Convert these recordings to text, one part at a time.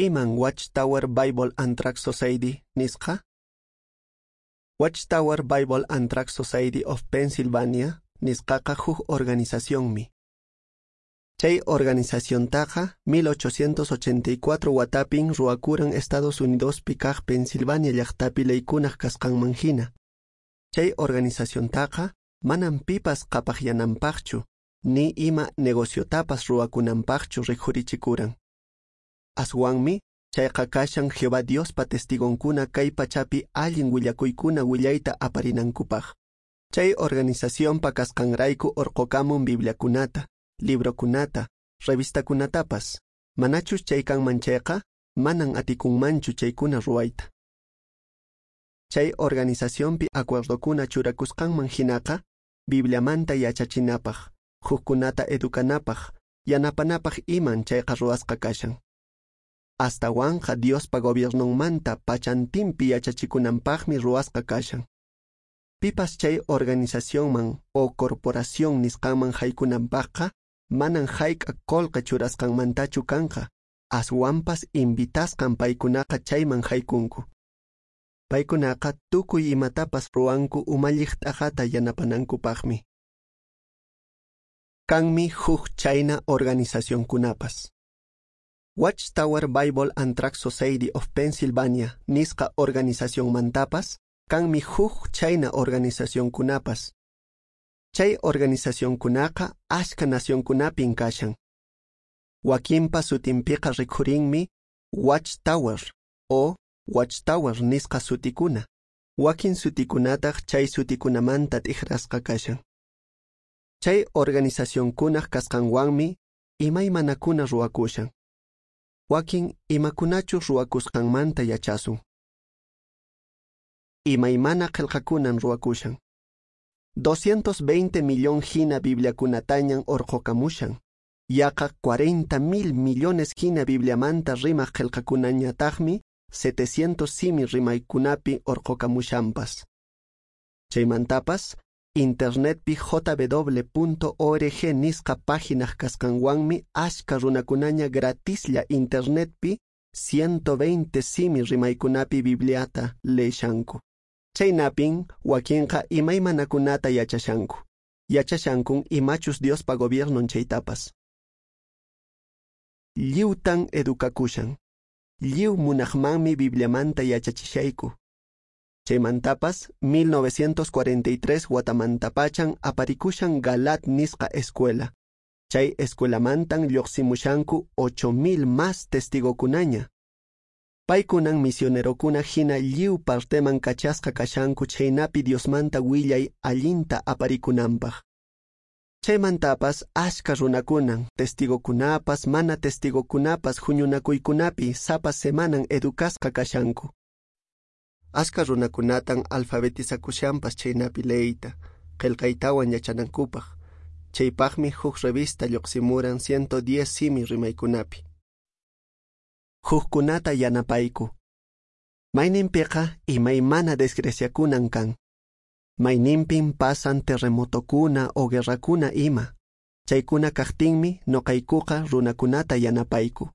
Iman Watchtower Bible and Tract Society nisqa? Watchtower Bible and Tract Society of Pennsylvania nisqaqa huk organizacionmi. Chay organizaciontaqa 1884 watapin ruwakuran Estados Unidospi kaq Pensilvania llaqtapi leykunaq kasqanman hina. Chay organizaciontaqa manan pipas qhapaqyananpaqchu, ni ima negociotapas ruwakunanpaqchu rikhurichikuran. Aswanmi chayqa kashan Jehová Diospa testigonkuna kay pachapi allin willakuykuna willayta aparinankupaq. Chay organizacionpa kasqanrayku orqokamun bibliakunata, librokunata, revistakunatapas. Manachus chay kanman chayqa, manan atikunmanchu chaykuna ruwayta. Chay organizacionpi acuerdokuna churakusqanman hinaqa, Bibliamanta yachachinapaq, hukkunata educanapaq, yanapanapaq iman chayqa ruwasqa kashan. Astawanqa Diospa gobiernonmanta pachantinpi yachachikunanpaqmi ruwasqa kashan. Pipas chay organizacionman o corporación nisqanman haykunanpaqqa, manan hayk'a qolqe churasqanmantachu kanqa, aswanpas invitasqan paykunaqa chayman haykunku. Paykunaqa tukuy imatapas ruwanku umalliq t'aqata yanapanankupaqmi. Kanmi huk chayna organizacionkunapas. Watchtower Bible and Tract Society of Pennsylvania nisqa organizacionmantapas kanmi huk chayna organizacionkunapas. Chay organizacionkunaqa ashka nacionkunapin kashan. Wakinpa sutinpiqa rikhurinmi Watchtower o Watchtower nisqa sutikuna. Wakin sutikunataq chay sutikunamanta t'ikrasqa kashan. Chay organizacionkunaq kasqanwanmi imaymanakuna ruwakushan. Wakin imakunachus ruwakusqanmanta yachasun. Imaymana qillqakunan ruwakushan. 220 millón hina bibliakunatañan orqokamushan. Yaqa 40 mil millones hina bibliamanta rimaq qillqakunañataqmi 700 simi rimaykunapi orqokamushanpas. Chaymantapas, internetpi jw.org nisqa páginaq kasqanwanmi ashka runakunaña gratislla internetpi 120 simi rimaykunapi bibliata leeshanku. Chaynapin wakinqa imaymanakunata yachashanku. Yachashankun imachus Diospa gobiernon chaytapas. Lliwtan edukakushan. Lliw munaqmanmi Bibliamanta yachachishayku. Chaymantapas 1943 watamantapachan aparikushan Galaad nisqa escuela. Chay escuelamantan lluqsimushanku 8000 más testigokunaña. Paykunan misionerokuna hina lliw parteman kachasqa kashanku chaynapi Diosmanta willay allinta aparikunanpaq. Chaymantapas ashka runakunan, testigokunapas, mana testigokunapas huñunakuykunapi sapa semanan educasqa kashanku. Ashka runakunatan alfabetizakushanpas chaynapi leeyta, qillqaytawan yachanankupaq. Chaypaqmi huk revista lluqsimuran 110 simi rimaykunapi. Hukkunata yanapayku. Mayninpiqa imaymana desgraciakunan kan. Mayninpin pasan terremotokuna o guerrakuna ima. Chaykuna kaqtinmi noqaykuqa runakunata yanapayku.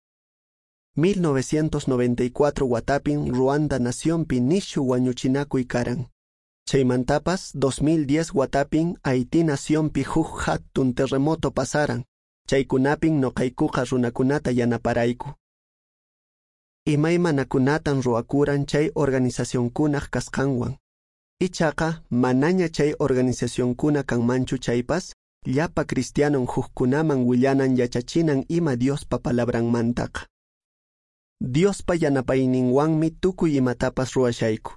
1994 watapin Ruanda nacionpi nishu wañuchinakuy karan. Chaymantapas 2010 watapin Haití nacionpi huk hatun terremoto pasaran. Chaykunapin noqaykuqa runakunata yanaparayku. Imaymanakunatan ruwakuran chay organizacionkunaq kasqanwan. Ichaqa manaña chay organizacionkuna kanmanchu chaypas, llapa cristianon hukkunaman willanan yachachinan ima Diospa palabranmantaqa. Diospa yanapayninwanmi tukuy imatapas ruwashayku.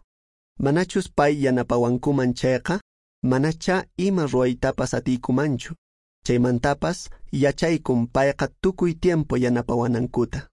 Manachus pay yanapawankuman chayqa, manacha ima ruwaytapas atiykumanchu. Chaymantapas yachaykun payqa tukuy tiempo yanapawanankuta.